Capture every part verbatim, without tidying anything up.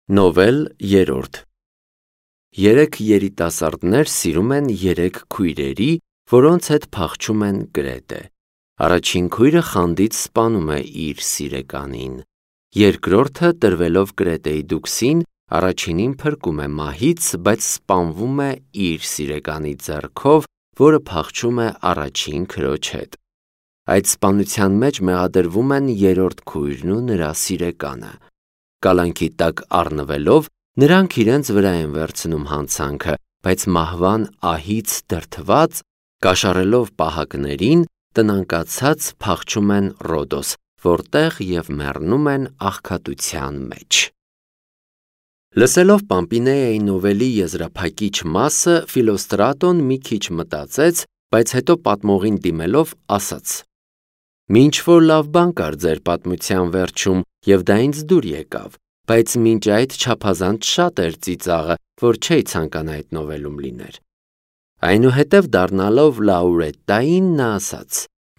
Նովել երրորդ Երեք երիտասարդներ սիրում են երեք քույրերի, որոնց հետ փախչում են գրետե։ Առաջին քույրը խանդից սպանում է իր սիրեկանին։ Երկրորդը, տրվելով գրետեի դուքսին, առաջինին փրկում է մահից, բայց սպանվում է իր սիրեկանի ձեռքով, որը փախչում է առաջին քրոջ հետ։ Այդ սպանության մեջ մեղադրվում են երրորդ քույրն ու նրա սիրեկանը։ Կալանքի տակ առնվելով, նրանք իրենց վրա են վերցնում հանցանքը, բայց մահվան ահից դրդված, կաշառելով պահակներին, տնանկացած փախչում են Ռոդոս, որտեղ և մեռնում են աղքատության մեջ։ Լսելով Պամպինեայի նովելի եզրափակիչ մասը, Ֆիլոստրատոն մի քիչ մտածեց, բայց հետո պատմողին դիմելով ասաց. «Մինչ որ լավ բան կար ձեր պատմության վերջում, և դա ինձ դուր եկավ, բայց մինչ այդ չափազանց շատ էր ծիծաղը, որ չէի ցանկանա այդ նովելում լիներ»։ Այնուհետև դառնալով Լաուրետտային, նա ասաց.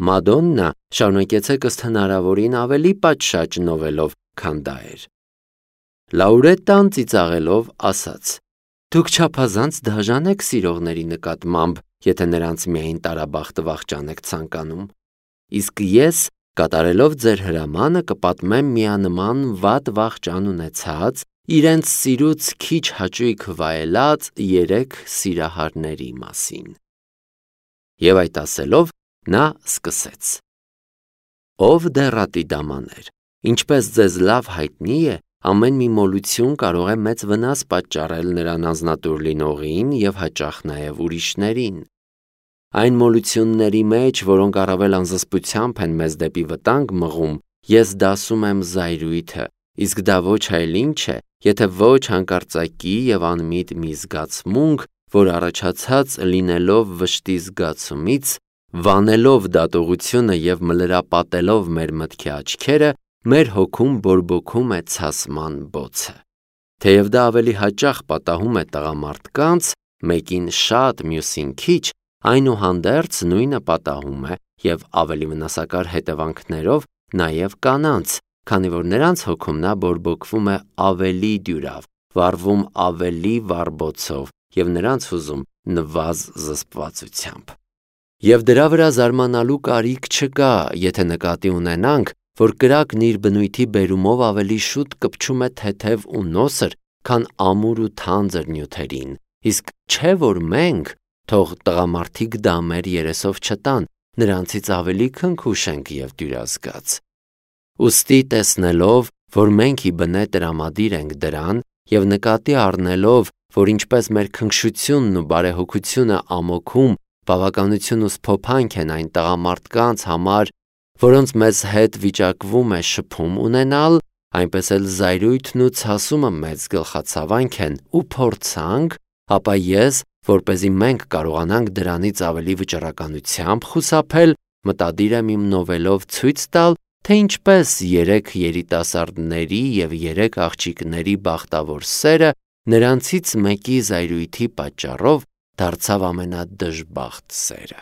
«Մադոննա, շարունակեցեք ըստ հնարավորին ավելի պատշաճ նովելով, քան դա էր»։ Լաուրետտան ծիծաղելով ասաց. «Դուք չափազանց դաժան եք սիրողների նկատմամբ, եթե նրանց միայն տարաբախտը վախճան եք ցանկանում։ Իսկ ես, կատարելով ձեր հրամանը, կպատմեմ միանման վատ վախճան ունեցած, իրենց սիրուց քիչ հաճույք վայելած երեք սիրահարների մասին»։ Եվ այդ ասելով, նա սկսեց. «Ով դեռատի դամաներ, ինչպես ձեզ լավ հայտնի է, ամեն մի մոլություն կարող է մեծ վնաս պատճառել նրան անձնատուր լինողին և հաճախ նաև ուրիշներին։ Այն մոլությունների մեջ, որոնք առավել անզսպությամբ են մեզ դեպի վտանգ մղում, ես դասում եմ զայրույթը, իսկ դա ոչ այլ ինչ է, եթե ոչ հանկարծակի և անմիտ մի զգացմունք, որ առաջացած լինելով վշտի զգացումից, վանելով դատողությունը և մլրապատելով մեր մտքի աչքերը, մեր հոգում բորբոքում է ցասման բոցը։ Թեև դա ավելի հաճախ պատահում է տղամարդկանց, մեկին շատ, մյուսին քիչ, այնուհանդերձ նույնը պատահում է և ավելի վնասակար հետևանքներով նաև կանանց, քանի որ նրանց հոգում նա բորբոքվում է ավելի դյուրավ, վառվում ավելի վառ բոցով և նրանց հուզում նվազ զսպվածությամբ։ Եվ դրա վրա զարմանալու կարիք չկա, եթե նկատի ունենանք, որ կրակն իր բնույթի բերումով ավելի շուտ կպչում է թեթև ու նոսր, քան ամուր ու թանձր նյութերին, իսկ չէ որ մենք, թող տղամարդիկ դա մեր երեսով չտան, նրանցից ավելի քնքուշ ենք և դյուրազգաց։ Ուստի տեսնելով, որ մենք ի բնե տրամադիր ենք դրան, և նկատի առնելով, որ ինչպես մեր քնքշությունն ու բարեհոգությունը ամոքում, բավականություն ու սփոփանք են այն տղամարդկանց համար, որոնց մեզ հետ վիճակվում է շփում ունենալ, այնպես էլ զայրույթն ու ցասումը մեծ գլխացավանք են ու փորձանք, ապա ես, որպեսզի մենք կարողանանք դրանից ավելի վճռականությամբ խուսափել, մտադիր եմ իմ նովելով ցույց տալ, թե ինչպես երեք երիտասարդների և երեք աղջիկների բախտավոր սերը նրանցից մեկի զայրույթի պատճառով դարձավ ամենադժբախտ սերը։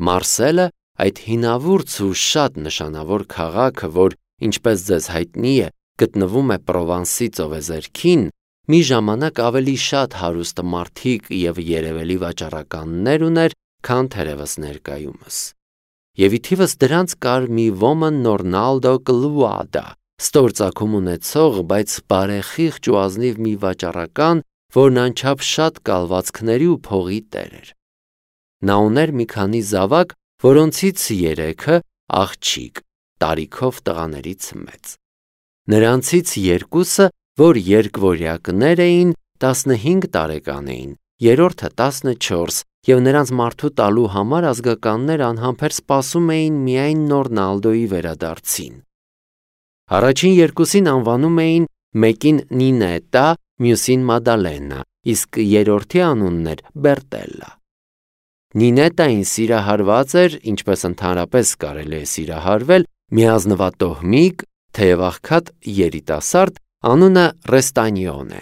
Մարսելը, այդ հինավուրց ու շատ նշանավոր քաղաքը, որ, ինչպես ձեզ հայտնի է, գտնվում է Պրովանսի ծովեզերքին, մի ժամանակ ավելի շատ հարուստ մարդիկ և երևելի վաճառականներ ուներ, քան թերևս ներկայումս։ Եվ ի թիվս դրանց կար մի ոմն Նորնալդո Կլուադա, ստոր ծագում ունեցող, բայց բարեխիղճ ու ազնիվ մի վաճառական, որն անչափ շատ կալվածքների ու փողի տեր էր։ Նա ուներ մի քանի զավակ, որոնցից երեքը աղջիկ, տարիքով տղաներից մեծ։ Նրանցից երկուսը, որ երկվորյակներ էին, տասնհինգ տարեկան էին, երրորդը տասնչորս, և նրանց մարդու տալու համար ազգականներ անհամբեր սպասում էին միայն Նորնալդոյի վերադարձին։ Առաջին երկուսին անվանում էին մեկին Նինետա, մյուսին Մադալենա, իսկ երրորդի անունն էր Բերտելլա։ Նինետային սիրահարված էր, ինչպես ընդհանրապես կարելի է սիրահարվել, մի ազնվատոհմիկ, թեև աղքատ երիտասարդ, անունը Ռեստանյոն է։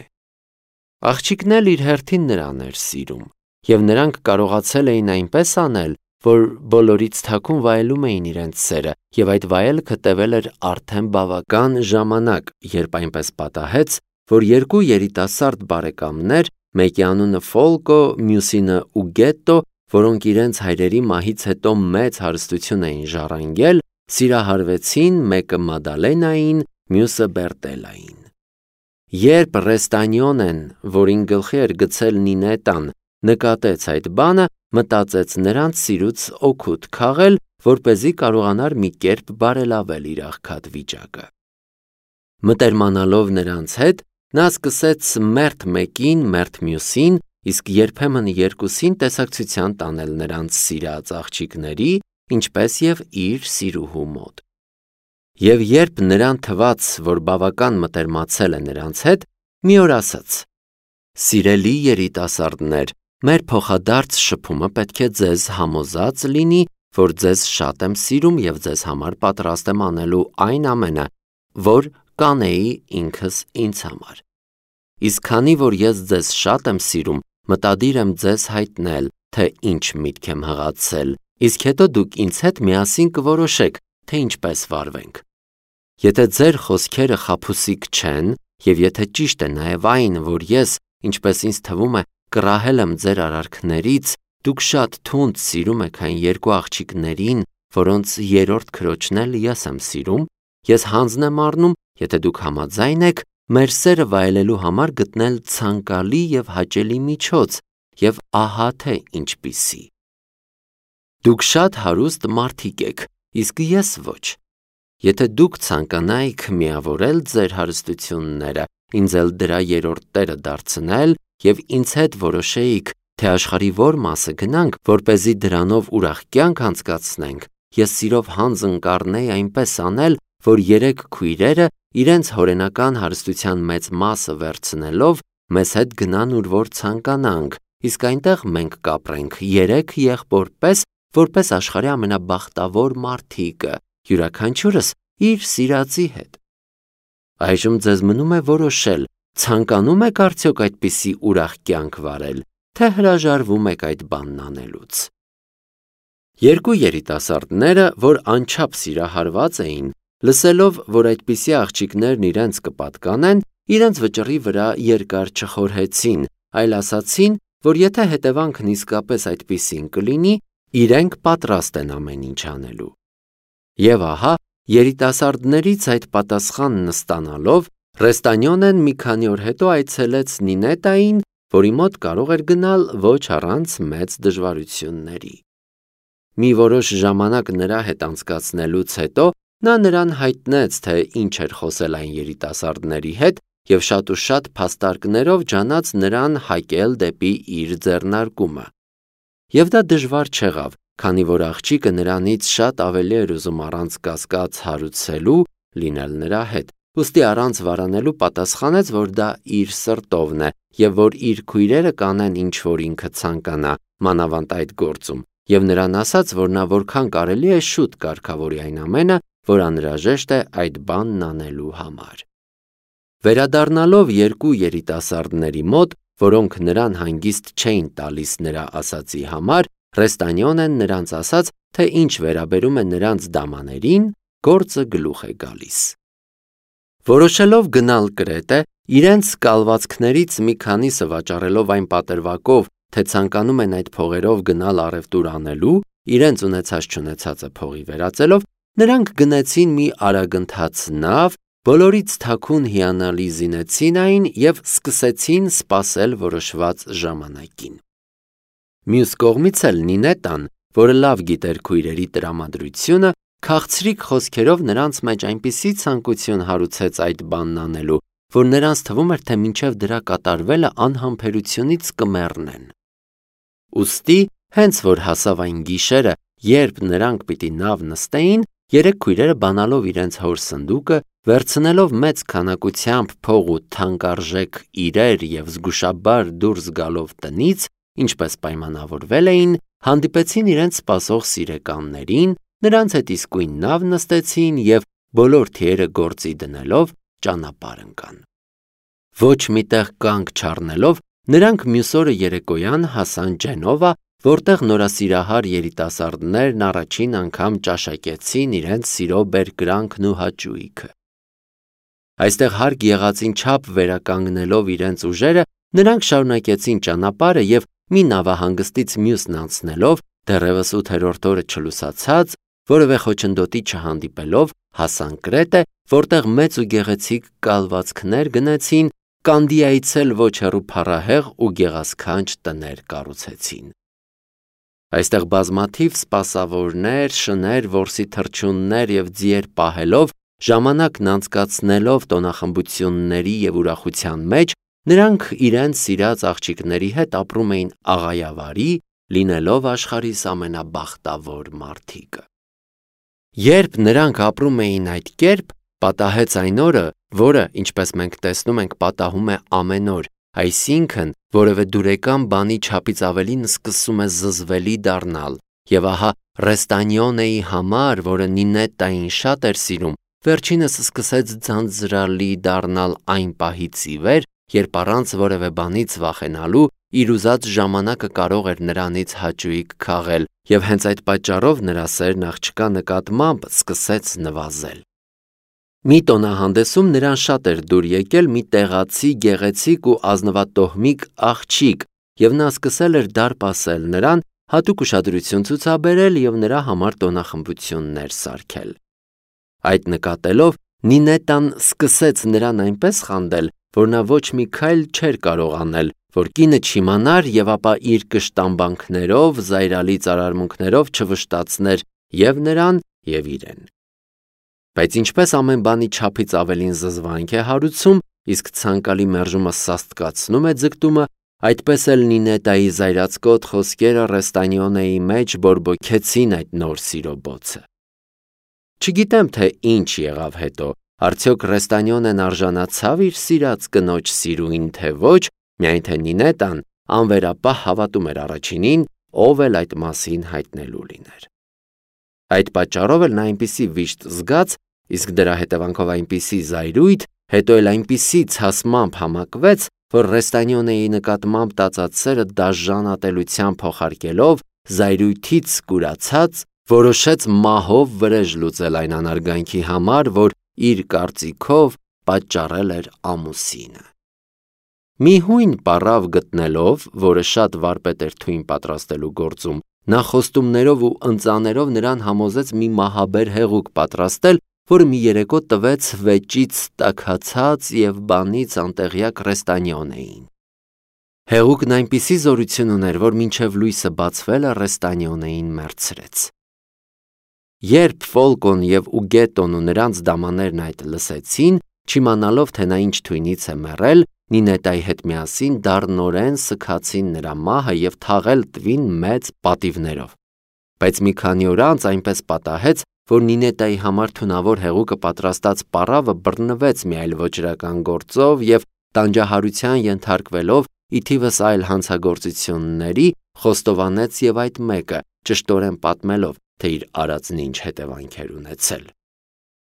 Աղջիկն էլ իր հերթին նրան էր սիրում, և նրանք կարողացել էին այնպես անել, որ բոլորից թաքուն վայելում էին իրենց սերը, և այդ վայելքը տևել էր արդեն բավական ժամանակ, երբ այնպես պատահեց, որ երկու երիտասարդ բարեկամներ, մեկի անունը Ֆոլկո, մյուսինը Ուգետտո, որոնք իրենց հայրերի մահից հետո մեծ հարստություն էին ժառանգել, սիրահարվեցին մեկը Մադալենային, մյուսը Բերտելային։ Երբ Ռեստանյոնեն, որին գլխի էր գցել Նինետան, նկատեց այդ բանը, մտածեց նրանց սիրուց օգուտ քաղել, որպեսզի կարողանար մի կերպ բարելավել իր աղքատ վիճակը։ Մտերմանալով նրանց հետ, նա սկսեց մերթ մեկին, մերթ մյուսին, իսկ երբեմն երկուսին տեսակցության տանել նրանց սիրած աղջիկների, ինչպես և իր սիրուհու մոտ։ Եվ երբ նրան թվաց, որ բավական մտերմացել է նրանց հետ, մի օր ասաց. «Սիրելի երիտասարդներ, մեր փոխադարձ շփումը պետք է ձեզ համոզած լինի, որ ձեզ շատ եմ սիրում և ձեզ համար պատրաստ եմ անելու այն ամենը, որ կանեի ինքս ինձ համար։ Իսկ քանի որ ես ձեզ շատ եմ սիրում, մտադիր եմ ձեզ հայտնել, թե ինչ միտք եմ հղացել, իսկ հետո դուք ինձ հետ միասին կորոշեք, թե ինչպես վարվենք։ Եթե ձեր խոսքերը խաբուսիկ չեն, և եթե ճիշտ է նաև այն, որ ես, ինչպես ինձ թվում է, կռահել եմ ձեր արարքներից, դուք շատ թունդ սիրում եք այն երկու աղջիկներին, որոնց երրորդ քրոջն էլ ես եմ սիրում, ես հանձն եմ առնում, եթե դուք համաձայն եք, մեր սերը վայելելու համար գտնել ցանկալի և հաճելի միջոց, և ահա թե ինչպիսի։ Դուք շատ հարուստ մարդիկ եք, իսկ ես ոչ։ Եթե դուք ցանկանայիք միավորել ձեր հարստությունները, ինձ էլ դրա երրորդ տերը դարձնել և ինձ հետ որոշեիք, թե աշխարհի որ մասը գնանք, որպեսզի դրանով ուրախ կյանք անցկացնենք, ես սիրով հանձն կառնեի այնպես անել, որ երեք քույրերը իրենց հորենական հարստության մեծ մասը վերցնելով մեզ հետ գնան ուր որ ցանկանանք, իսկ այնտեղ մենք կապրենք երեք եղբոր պես, որպես աշխարհի ամենաբախտավոր մարդիկը, յուրաքանչյուրս իր սիրածի հետ։ Այժմ ձեզ մնում է որոշել, ցանկանում եք արդյոք այդպիսի ուրախ կյանք վարել, թե հրաժարվում եք այդ բանն անելուց։ Երկու երիտասարդները, որ անչափ սիրահարված էին, լսելով, որ այդպիսի աղջիկներն իրենց կպատկանեն, իրենց վճռի վրա երկար չխորհեցին, այլ ասացին, որ եթե հետևանքն իսկապես այդպիսին կլինի, իրենք պատրաստ են ամեն ինչ անելու։ Եվ ահա, երիտասարդներից այդ պատասխանն ստանալով, Ռեստանյոնեն մի քանի օր հետո այցելեց Նինետային, որի մոտ կարող էր գնալ ոչ առանց մեծ դժվարությունների։ Մի որոշ ժամանակ նրա հետ անցկացնելուց հետո նա նրան հայտնեց, թե ինչ էր խոսել այն երիտասարդների հետ և շատ ու շատ փաստարկներով ջանաց նրան հակել դեպի իր ձեռնարկումը։ Եվ դա դժվար չեղավ, քանի որ աղջիկը նրանից շատ ավելի էր ուզում առանց կասկած հարուցելու լինել նրա հետ, ուստի առանց վարանելու պատասխանեց, որ դա իր սրտովն է և որ իր քույրերը կանեն ինչ որ ինքը ցանկանա, մանավանդ այդ գործում, և նրան ասաց, որ նա որքան կարելի է շուտ կարգավորի այն ամենը, որ անհրաժեշտ է այդ բանն անելու համար։ Վերադառնալով երկու երիտասարդների մոտ, որոնք նրան հանգիստ չէին տալիս նրա ասածի համար, Ռեստանյոնեն նրանց ասաց, թե ինչ վերաբերում է նրանց դամաներին, գործը գլուխ է գալիս։ Որոշելով գնալ Կրետե, իրենց կալվածքներից մի քանիսը վաճառելով այն պատրվակով, թե ցանկանում են այդ փողերով գնալ առևտուր անելու, իրենց ունեցած-չունեցածը փողի վերածելով, նրանք գնեցին մի արագընթաց նավ, բոլորից թաքուն հիանալի զինեցին այն և սկսեցին սպասել որոշված ժամանակին։ Մյուս կողմից էլ Նինետան, որը լավ գիտեր քույրերի տրամադրությունը, քաղցրիկ խոսքերով նրանց մեջ այնպիսի ցանկություն հարուցեց այդ բանն անելու, որ նրանց թվում էր, թե մինչև դրա կատարվելը անհամբերությունից կմեռնեն։ Ուստի, հենց որ հասավ այն գիշերը, երբ նրանք պիտի նավ նստեին, երեք քույրերը բանալով իրենց հոր սնդուկը, վերցնելով մեծ քանակությամբ փող ու թանկարժեք իրեր և զգուշաբար դուրս գալով տնից, ինչպես պայմանավորվել էին, հանդիպեցին իրենց սպասող սիրեկաններին, նրանց հետ իսկույն նավ նստեցին և բոլոր թիերը գործի դնելով ճանապարհ ընկան։ Ոչ մի տեղ կանգ չառնելով, նրանք մյուս օրը երեկոյան հասան Ջենովա, որտեղ նորասիրահար երիտասարդներն առաջին անգամ ճաշակեցին իրենց սիրո բերկրանքն ու հաճույքը։ Այստեղ հարկ եղածին չափ վերականգնելով իրենց ուժերը, նրանք շարունակեցին ճանապարհը և մի նավահանգստից մյուսն անցնելով, դեռևս ութերորդ օրը չլուսացած, որևէ խոչընդոտի չհանդիպելով, հասան Կրետե, որտեղ մեծ ու գեղեցիկ կալվածքներ գնեցին, Կանդիայից էլ ոչ հեռու փառահեղ ու գեղասքանչ տներ կառուցեցին։ Այստեղ բազմաթիվ սպասավորներ, շներ, որսի թռչուններ և ձիեր պահելով, ժամանակն անցկացնելով տոնախմբությունների և ուրախության մեջ, նրանք իրենց սիրած աղջիկների հետ ապրում էին աղայավարի, լինելով աշխարհիս ամենաբախտավոր մարդիկը։ Երբ նրանք ապրում էին այդ կերպ, պատահեց այն օրը, որը, ինչպես մենք տեսնում ենք, պատահում է ամեն օր, այսինքն, որևէ դուրեկան բանի չափից ավելին սկսում է զզվելի դառնալ, և ահա Ռեստանյոնեի համար, որը Նինետտային շատ էր սիրում, վերջինս սկսեց ձանձրալի դառնալ այն պահից ի վեր, երբ առանց որևէ բանից վախենալու իր ուզած ժամանակը կարող էր նրանից հաճույք քաղել, և հենց այդ պատճառով նրա սերն աղջկա նկատմամբ սկսեց նվազել։ Մի տոնահանդեսում նրան շատ էր դուր եկել մի տեղացի գեղեցիկ ու ազնվատոհմիկ աղջիկ, և նա սկսել էր դարպասել նրան, հատուկ ուշադրություն ցուցաբերել և նրա համար տոնախմբություններ սարքել։ Այդ նկատելով, Նինետտան սկսեց նրան այնպես խանդել, որ նա ոչ մի քայլ չէր կարող անել, որ կինը չիմանար և ապա իր կշտամբանքներով, զայրալից արարմունքներով չվշտացներ և նրան, և իրեն։ Բայց ինչպես ամեն բանի չափից ավելին զզվանք է հարուցում, իսկ ցանկալի մերժումը սաստկացնում է ձգտումը, այդպես էլ Նինետտայի զայրացկոտ խոսքերը Ռեստանյոնեի մեջ բորբոքեցին այդ նոր սիրո բոցը։ Չգիտեմ, թե ինչ եղավ հետո, արդյոք Ռեստանյոնեն արժանացավ իր սիրած կնոջ սիրուին, թե ոչ, միայն թե Նինետտան անվերապահ հավատում էր առաջինին, ով էլ այդ մասին հայտնելու լիներ։ Այդ պատճառով էլ նա այնպիսի վիշտ զգաց, իսկ դրա հետևանքով այնպիսի զայրույթ, հետո էլ այնպիսի ցասմամբ համակվեց, որ Ռեստանյոնեի նկատմամբ տածած սերը դաժան ատելությամբ փոխարկելով, զայրույթից կուրացած, որոշեց մահով վրեժ լուծել այն անարգանքի համար, որ իր կարծիքով պատճառել էր ամուսինը։ Մի հույն պառավ գտնելով, որը շատ վարպետ էր թույն պատրաստելու գործում, նա խոստումներով ու ընծաներով նրան համոզեց մի մահաբեր հեղուկ պատրաստել, որը մի երեկո տվեց վեճից տաքացած և բանից անտեղյակ Ռեստանյոնեին։ Հեղուկն այնպիսի զորություն ուներ, որ մինչև լույսը բացվելը Ռեստանյոնեին մեռցրեց։ Երբ Ֆոլկոն և Ուգետոն ու նրանց դամաներն այդ լսեցին, չիմանալով, թե նա ինչ թույնից է մեռել, Նինետտայի հետ միասին դառնորեն սգացին նրա մահը և թաղել տվին մեծ պատիվներով։ Բայց մի քանի օր անց այնպես պատահեց, որ Նինետտայի համար թունավոր հեղուկը պատրաստած պառավը բռնվեց մի այլ ոճրական գործով և տանջահարության ենթարկվելով, ի թիվս այլ հանցագործությունների, խոստովանեց և այդ մեկը, ճշտորեն պատմելով, թե իր արածն ինչ հետևանքեր ունեցել։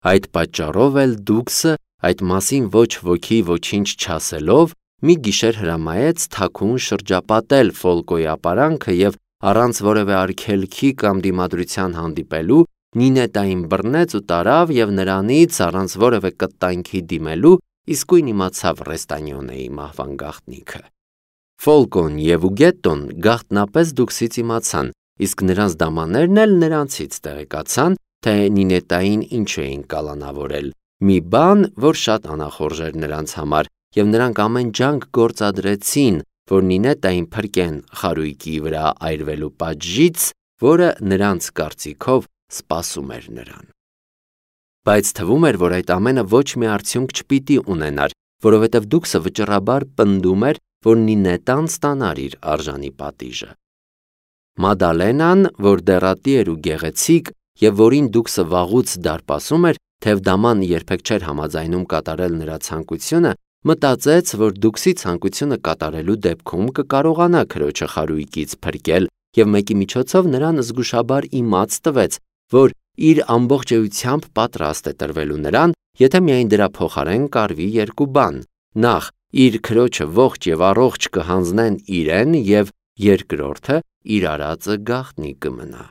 Այդ պատճառով էլ Դուքսը, այդ մասին ոչ ոքի ոչինչ չասելով, մի գիշեր հրամայեց թաքուն շրջապատել Ֆոլկոյի ապարանքը և առանց որևէ արգելքի կամ դիմադրության հանդիպելու, Նինետտային բռնեց ու տարավ և նրանից, առանց որևէ կտանքի դիմելու, իսկույն իմացավ Ռեստանյոնեի մահվան գաղտնիքը։ Ֆոլկոն և Ուգետոն գաղտնապես Դուքսից իմացան, իսկ նրանց դամաներն էլ նրանցից տեղեկացան, թե Նինետտային ինչու էին կալանավորել, մի բան, որ շատ անախորժ էր նրանց համար, և նրանք ամեն ջանք գործադրեցին, որ Նինետտային փրկեն խարույկի վրա այրվելու պատժից, որը նրանց կարծիքով սպասում էր նրան։ Բայց թվում էր, որ այդ ամենը ոչ մի արդյունք չպիտի ունենար, որովհետև Դուքսը վճռաբար պնդում էր, որ Նինետտան ստանար իր արժանի պատիժը։ Մադալենան, որ դեռատի էր ու գեղեցիկ, և որին Դուքսը վաղուց դարպասում էր, թեև դաման երբեք չէր համաձայնում կատարել նրա ցանկությունը, մտածեց, որ Դուքսի ցանկությունը կատարելու դեպքում կկարողանա քրոջը խարույկից փրկել և մեկի միջոցով նրան զգուշաբար իմաց տվեց, որ իր ամբողջ էությամբ պատրաստ է տրվելու նրան, եթե միայն դրա փոխարեն կարվի երկու բան. նախ իր քրոջը ողջ և առողջ կհանձնեն իրեն և երկրորդը իր արածը գաղտնի կմնա։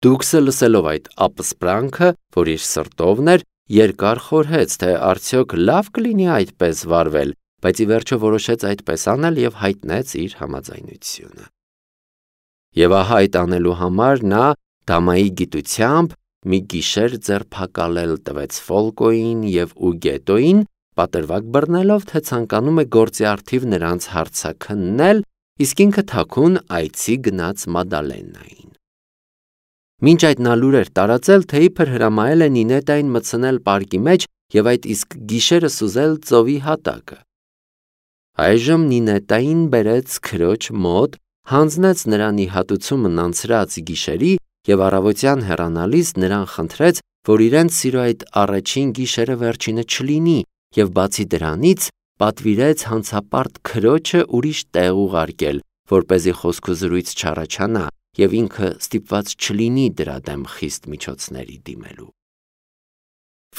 Դուքսը լսելով այդ ապսպրանքը, որ իր սրտովն էր, երկար խորհեց, թե արդյոք լավ կլինի այդպես վարվել, բայց ի վերջո որոշեց այդպես անել և հայտնեց իր համաձայնությունը։ Եվ ահա այդ անելու համար նա դամայի գիտությամբ մի գիշեր ձերբակալել տվեց Ֆոլկոյին և Ուգետոյին, պատրվակ բռնելով, թե ցանկանում է գործի առթիվ նրանց հարցաքննել, իսկ ինքը թաքուն այցի գնաց Մադալենային։ Մինչ այդ նա լուր էր տարածել, թե իբր հրամայել է Նինետային մտցնել պարկի մեջ և այդ իսկ գիշերը սուզել ծովի հատակը։ Այժմ Նինետային բերեց քրոջ մոտ, հանձնեց նրան ի հատուցումն անցրած գիշերի և առավոտյան հեռանալիս նրան խնդրեց, որ իրենց սիրո այդ առաջին գիշերը վերջինը չլինի, և բացի դրանից պատվիրեց հանցապարտ քրոջը ուրիշ տեղ ուղարկել, որպեսզի խոսքուզրույց չառաջանա և ինքը ստիպված չլինի դրա դեմ խիստ միջոցների դիմելու։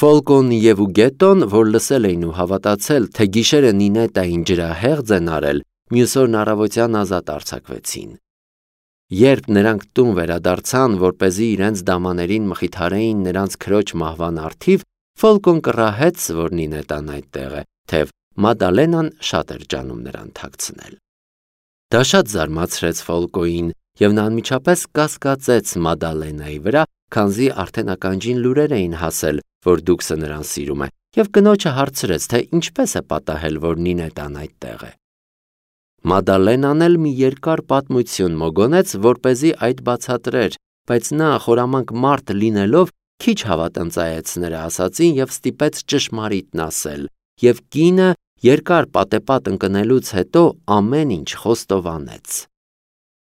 Ֆոլկոն և Ուգետոն, որ լսել էին ու հավատացել, թե գիշերը Նինետային ջրահեղձ են արել, մյուս օրն առավոտյան ազատ արձակվեցին։ Երբ նրանք տուն վերադարձան, որպեսզի իրենց դամաներին մխիթարեին նրանց քրոջ մահվան առթիվ, Ֆոլկոն կռահեց, որ Նինետան այդտեղ է, թեև Մադալենան շատ էր ջանում նրան թաքցնել։ Դա շատ զարմացրեց Ֆոլկոյին, և նա անմիջապես կասկածեց Մադալենայի վրա, քանզի արդեն ականջին լուրեր էին հասել, որ Դուքսը նրան սիրում է, և կնոջը հարցրեց, թե ինչպես է պատահել, որ Նինետան այդտեղ է։ Մադալենան էլ մի երկար պատմություն մոգոնեց, որպեսզի այդ բացատրեր, բայց նա խորամանկ մարդ լինելով քիչ հավատնծայեց նրա ասածին և ստիպեց ճշմարիտն ասել, և կինը երկար պատեպատ ընկնելուց հետո ամեն ինչ խոստովանեց։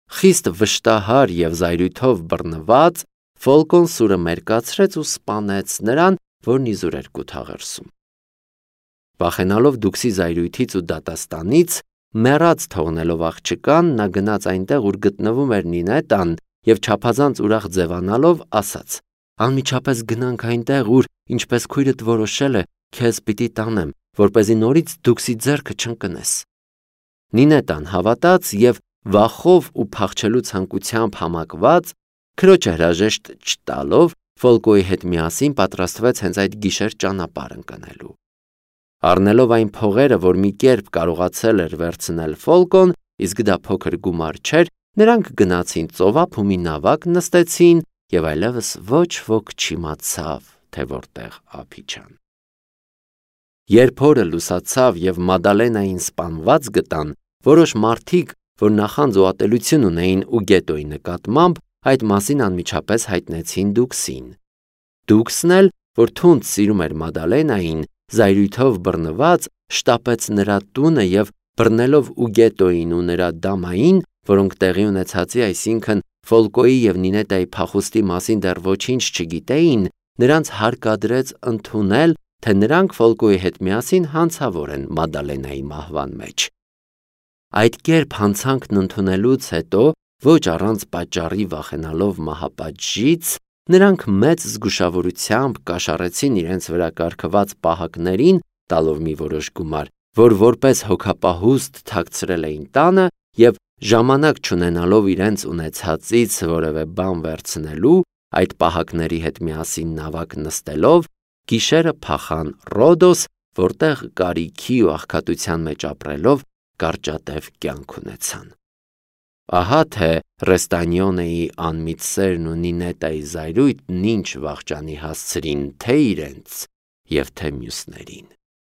Խիստ վշտահար և զայրույթով բռնված, Ֆոլկոն սուրը մերկացրեց ու սպանեց նրան, որն իզուր էր կութաղերսում։ Վախենալով Դուքսի զայրույթից ու դատաստանից, մեռած թողնելով աղջկան, նա գնաց այնտեղ, ուր գտնվում էր Նինետան, և չափազանց ուրախ ձևանալով ասաց. «Անմիջապես գնանք այնտեղ, ուր, ինչպես քույրդ որոշել է, քեզ պիտի տանեմ, որպեսզի նորից Դուքսի ձեռքը չընկնես»։ Նինետան հավատաց և վախով ու փախչելու ցանկությամբ համակված, քրոջը հրաժեշտ չտալով, Ֆոլկոյի հետ միասին պատրաստվեց հենց այդ գիշեր ճանապարհ ընկնելու։ Առնելով այն փողերը, որ մի կերպ կարողացել էր վերցնել Ֆոլկոն, իսկ դա փոքր գումար չէր, նրանք գնացին ծովափ ու մի նավակ նստեցին, և այլևս ոչ ոք չիմացավ, թե որտեղ ափ իջան։ Երբ օրը լուսացավ և Մադալենային սպանված գտան, որոշ մարդիկ, որ նախանձ ու ատելություն ունեին Ուգետոյի նկատմամբ, այդ մասին անմիջապես հայտնեցին Դուքսին։ Դուքսն էլ, որ թունդ սիրում էր Մադալենային, զայրույթով բռնված, շտապեց նրա տունը և բռնելով Ուգետոյին ու նրա դամային, որոնք տեղի ունեցածի, այսինքն Ֆոլկոյի և Նինետայի փախուստի մասին դեռ ոչինչ չգիտեին, նրանց հարկադրեց ընդունել, թե նրանք Ֆոլկոյի հետ միասին հանցավոր են Մադալենայի մահվան մեջ։ Այդ կերպ հանցանքն ընդունելուց հետո, ոչ առանց պատճառի վախենալով մահապատժից, նրանք մեծ զգուշավորությամբ կաշառեցին իրենց վրա կարգված պահակներին, տալով մի որոշ գումար, որ որպես հոգապահուստ թաքցրել էին տանը, և ժամանակ չունենալով իրենց ունեցածից որևէ բան վերցնելու, այդ պահակների հետ միասին նավակ նստելով, գիշերը փախան Ռոդոս, որտեղ կարիքի ու աղքատության մեջ ապրելով կարճատև կյանք ունեցան։ Ահա թե Ռեստանյոնեի անմիտ սերն ու Նինետայի զայրույթն ինչ վախճանի հասցրին թե իրենց և թե մյուսներին։